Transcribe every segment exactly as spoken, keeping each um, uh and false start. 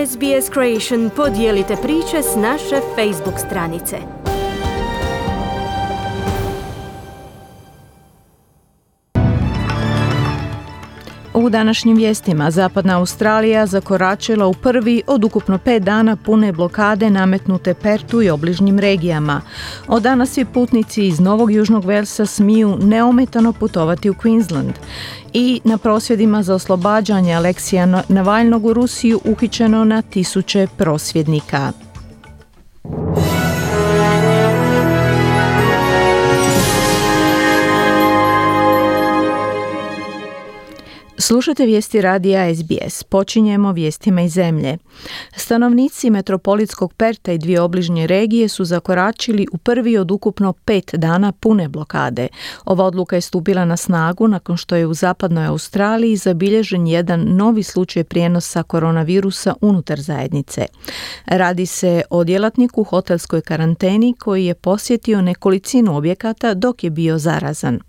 S B S Creation podijelite priče s naše Facebook stranice. U današnjim vijestima Zapadna Australija zakoračila u prvi od ukupno pet dana pune blokade nametnute Pertu i obližnjim regijama. Od danas svi putnici iz Novog Južnog Velsa smiju neometano putovati u Queensland. I na prosvjedima za oslobađanje Aleksija Navalnog u Rusiju uhićeno na tisuće prosvjednika. Slušate vijesti radija S B S. Počinjemo vijestima iz zemlje. Stanovnici metropolitskog Perta i dvije obližnje regije su zakoračili u prvi od ukupno pet dana pune blokade. Ova odluka je stupila na snagu nakon što je u Zapadnoj Australiji zabilježen jedan novi slučaj prijenosa koronavirusa unutar zajednice. Radi se o djelatniku u hotelskoj karanteni koji je posjetio nekolicinu objekata dok je bio zarazan.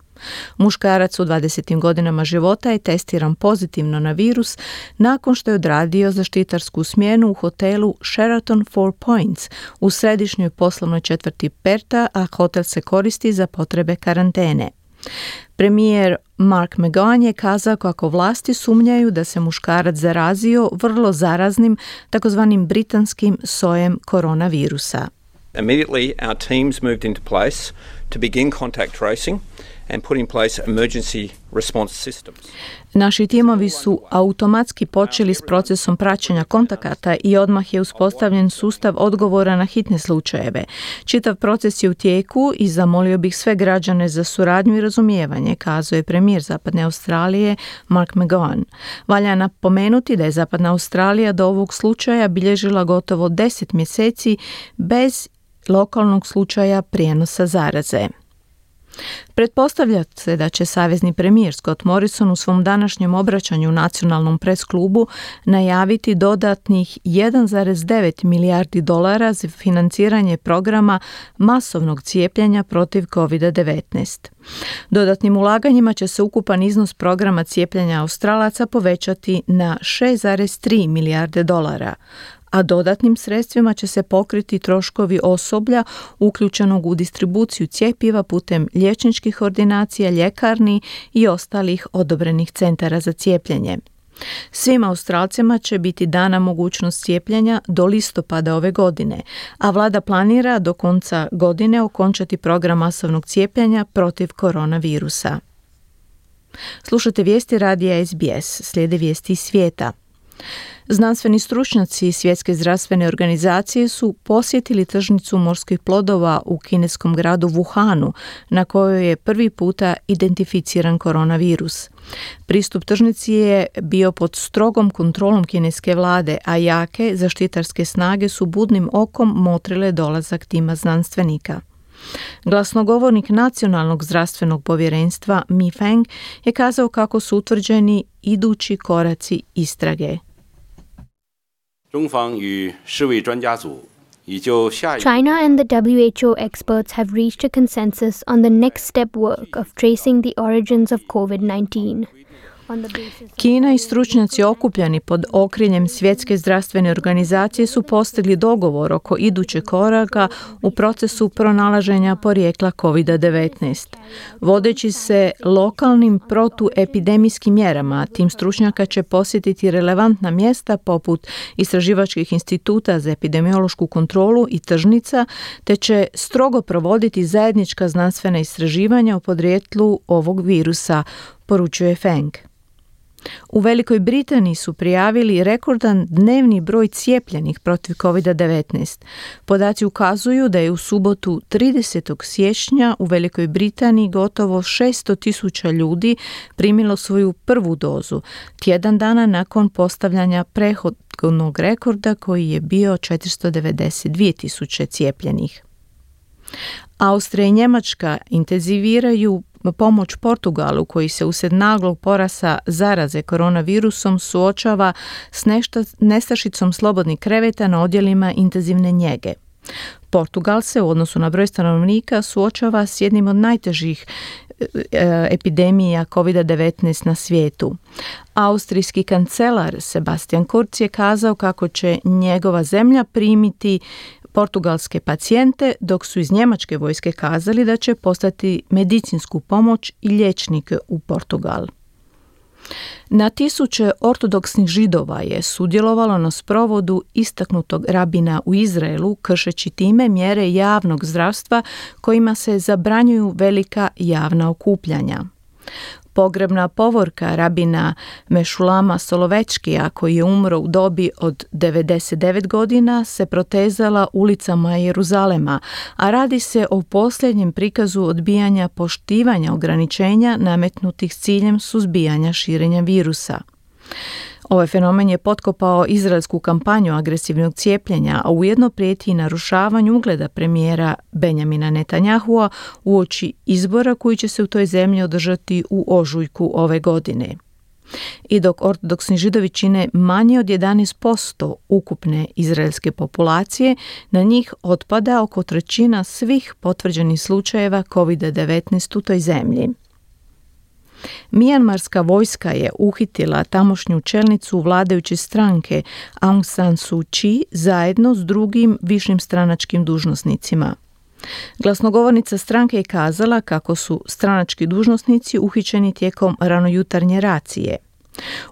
Muškarac u dvadesetim godinama života je testiran pozitivno na virus nakon što je odradio zaštitarsku smjenu u hotelu Sheraton Four Points u središnjoj poslovnoj četvrti Perta, a hotel se koristi za potrebe karantene. Premijer Mark McGowan je kazao kako vlasti sumnjaju da se muškarac zarazio vrlo zaraznim takozvanim britanskim sojem koronavirusa. Immediately our teams moved into place to begin contact tracing and put in place emergency response systems. Naši timovi su automatski počeli s procesom praćenja kontakata i odmah je uspostavljen sustav odgovora na hitne slučajeve. Čitav proces je u tijeku i zamolio bih sve građane za suradnju i razumijevanje, kazao je premijer Zapadne Australije Mark McGowan. Valja napomenuti da je Zapadna Australija do ovog slučaja bilježila gotovo deset mjeseci bez lokalnog slučaja prijenosa zaraze. Pretpostavlja se da će savezni premijer Scott Morrison u svom današnjem obraćanju nacionalnom pres klubu najaviti dodatnih jedan zarez devet milijardi dolara za financiranje programa masovnog cijepljenja protiv kovid devetnaest. Dodatnim ulaganjima će se ukupan iznos programa cijepljenja Australaca povećati na šest zarez tri milijarde dolara, a dodatnim sredstvima će se pokriti troškovi osoblja uključenog u distribuciju cjepiva putem liječničkih ordinacija, ljekarni i ostalih odobrenih centara za cijepljenje. Svim Australcima će biti dana mogućnost cijepljenja do listopada ove godine, a vlada planira do konca godine okončati program masovnog cijepljenja protiv koronavirusa. Slušate vijesti radija S B S, slijede vijesti iz svijeta. Znanstveni stručnjaci Svjetske zdravstvene organizacije su posjetili tržnicu morskih plodova u kineskom gradu Wuhanu, na kojoj je prvi puta identificiran koronavirus. Pristup tržnici je bio pod strogom kontrolom kineske vlade, a jake zaštitarske snage su budnim okom motrile dolazak tima znanstvenika. Glasnogovornik Nacionalnog zdravstvenog povjerenstva Mi Feng je kazao kako su utvrđeni idući koraci istrage. China and the W H O experts have reached a consensus on the next step work of tracing the origins of covid nineteen. Kina i stručnjaci okupljani pod okriljem Svjetske zdravstvene organizacije su postigli dogovor oko idućeg koraka u procesu pronalaženja porijekla kovid devetnaest. Vodeći se lokalnim protuepidemijskim mjerama, tim stručnjaka će posjetiti relevantna mjesta poput istraživačkih instituta za epidemiološku kontrolu i tržnica, te će strogo provoditi zajednička znanstvena istraživanja o podrijetlu ovog virusa, poručuje Feng. U Velikoj Britaniji su prijavili rekordan dnevni broj cijepljenih protiv kovid devetnaest. Podaci ukazuju da je u subotu tridesetog siječnja u Velikoj Britaniji gotovo šesto tisuća ljudi primilo svoju prvu dozu, tjedan dana nakon postavljanja prethodnog rekorda koji je bio četiristo devedeset dvije tisuće cijepljenih. Austrija i Njemačka intenziviraju pomoć Portugalu koji se usred naglog porasta zaraze koronavirusom suočava s nestašicom slobodnih kreveta na odjelima intenzivne njege. Portugal se u odnosu na broj stanovnika suočava s jednim od najtežih epidemija kovid devetnaest na svijetu. Austrijski kancelar Sebastian Kurz je kazao kako će njegova zemlja primiti portugalske pacijente, dok su iz njemačke vojske kazali da će poslati medicinsku pomoć i liječnike u Portugal. Na tisuće ortodoksnih Židova je sudjelovalo na sprovodu istaknutog rabina u Izraelu, kršeći time mjere javnog zdravstva kojima se zabranjuju velika javna okupljanja. Pogrebna povorka rabina Mešulama Solovečkija, koji je umro u dobi od devedeset devet godina, se protezala ulicama Jeruzalema, a radi se o posljednjem prikazu odbijanja poštivanja ograničenja nametnutih s ciljem suzbijanja širenja virusa. Ovaj fenomen je potkopao izraelsku kampanju agresivnog cijepljenja, a ujedno prijeti i narušavanju ugleda premijera Benjamina Netanyahua uoči izbora koji će se u toj zemlji održati u ožujku ove godine. I dok ortodoksni Židovi čine manje od jedanaest posto ukupne izraelske populacije, na njih otpada oko trećina svih potvrđenih slučajeva kovid devetnaest u toj zemlji. Mijanmarska vojska je uhitila tamošnju čelnicu vladajuće stranke Aung San Suu Kyi zajedno s drugim višim stranačkim dužnosnicima. Glasnogovornica stranke je kazala kako su stranački dužnosnici uhićeni tijekom ranojutarnje racije.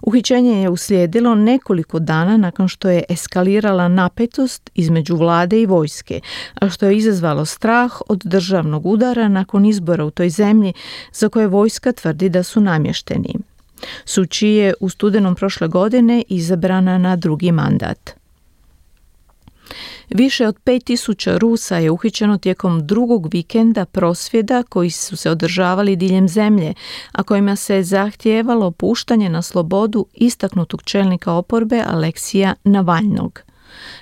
Uhićenje je uslijedilo nekoliko dana nakon što je eskalirala napetost između vlade i vojske, a što je izazvalo strah od državnog udara nakon izbora u toj zemlji za koje vojska tvrdi da su namješteni. Suu Kyi je u studenom prošle godine izabrana na drugi mandat. Više od pet tisuća Rusa je uhićeno tijekom drugog vikenda prosvjeda koji su se održavali diljem zemlje, a kojima se zahtijevalo puštanje na slobodu istaknutog čelnika oporbe Aleksija Navalnog.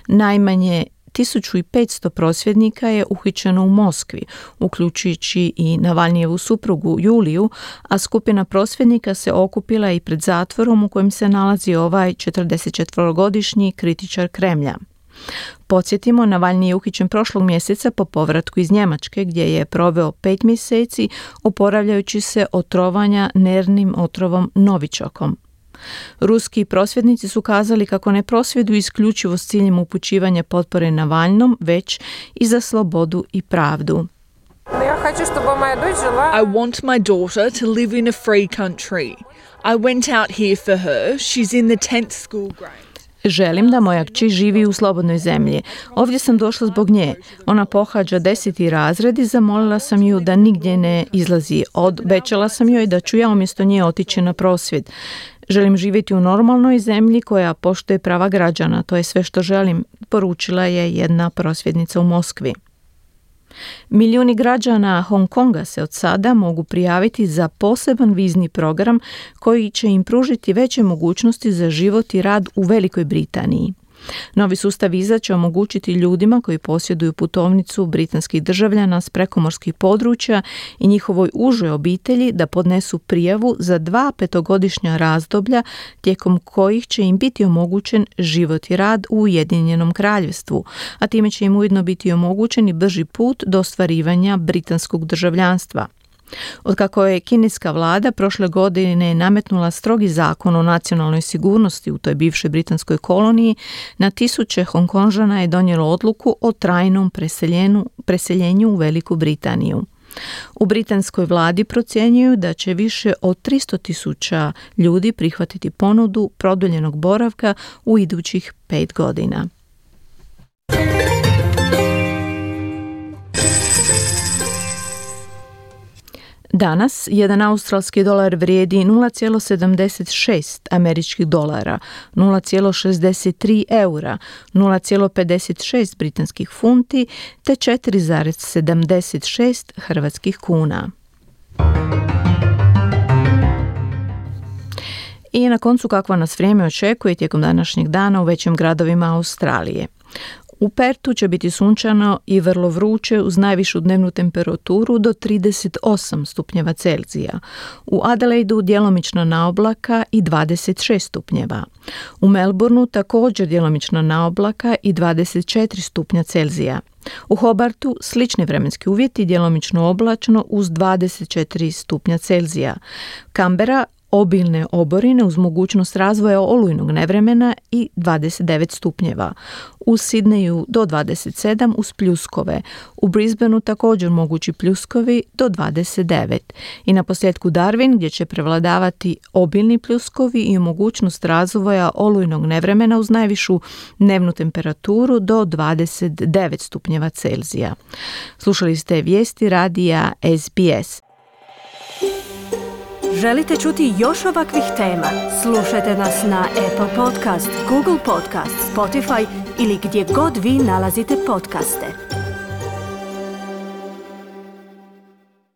Najmanje tisuću petsto prosvjednika je uhićeno u Moskvi, uključujući i Navalnijevu suprugu Juliju, a skupina prosvjednika se okupila i pred zatvorom u kojem se nalazi ovaj četrdesetčetverogodišnji kritičar Kremlja. Podsjetimo, Navalni je uhićen prošlog mjeseca po povratku iz Njemačke, gdje je proveo pet mjeseci oporavljajući se od trovanja nervnim otrovom novičokom. Ruski prosvjednici su kazali kako ne prosvjeduju isključivo s ciljem upućivanja potpore Navalnom, već i za slobodu i pravdu. I want my daughter to live in a free country. I went out here for her. She's in the tenth school grade. Želim da moja kći živi u slobodnoj zemlji. Ovdje sam došla zbog nje. Ona pohađa deseti razred i zamolila sam ju da nigdje ne izlazi. Obećala sam joj da ću ja umjesto nje otići na prosvjed. Želim živjeti u normalnoj zemlji koja poštuje prava građana. To je sve što želim, poručila je jedna prosvjednica u Moskvi. Milijuni građana Hong Konga se od sada mogu prijaviti za poseban vizni program koji će im pružiti veće mogućnosti za život i rad u Velikoj Britaniji. Novi sustav viza će omogućiti ljudima koji posjeduju putovnicu britanskih državljana s prekomorskih područja i njihovoj užoj obitelji da podnesu prijavu za dva petogodišnja razdoblja tijekom kojih će im biti omogućen život i rad u Ujedinjenom Kraljevstvu, a time će im ujedno biti omogućen i brži put do ostvarivanja britanskog državljanstva. Otkako je kineska vlada prošle godine nametnula strogi zakon o nacionalnoj sigurnosti u toj bivšoj britanskoj koloniji, na tisuće Hongkonžana je donijelo odluku o trajnom preseljenju, preseljenju u Veliku Britaniju. U britanskoj vladi procjenjuju da će više od tristo tisuća ljudi prihvatiti ponudu produljenog boravka u idućih pet godina. Danas jedan australski dolar vrijedi nula zarez sedamdeset šest američkih dolara, nula zarez šezdeset tri eura, nula zarez pedeset šest britanskih funti te četiri zarez sedamdeset šest hrvatskih kuna. I na koncu kakva nas vrijeme očekuje tijekom današnjeg dana u većim gradovima Australije. U Pertu će biti sunčano i vrlo vruće uz najvišu dnevnu temperaturu do trideset osam stupnjeva Celzija. U Adelaidu djelomično na oblaka i dvadeset šest stupnjeva. U Melbourneu također djelomično na oblaka i dvadeset četiri stupnja Celzija. U Hobartu slični vremenski uvjeti, djelomično oblačno uz dvadeset četiri stupnja Celzija. Canberra obilne oborine uz mogućnost razvoja olujnog nevremena i dvadeset devet stupnjeva. U Sidneju do dvadeset sedam uz pljuskove. U Brisbaneu također mogući pljuskovi do dvadeset devet. I na posljedku Darwin gdje će prevladavati obilni pljuskovi i mogućnost razvoja olujnog nevremena uz najvišu dnevnu temperaturu do dvadeset devet stupnjeva Celzija. Slušali ste vijesti radija S B S. Želite čuti još ovakvih tema? Slušajte nas na Apple Podcast, Google Podcast, Spotify ili gdje god vi nalazite podcaste.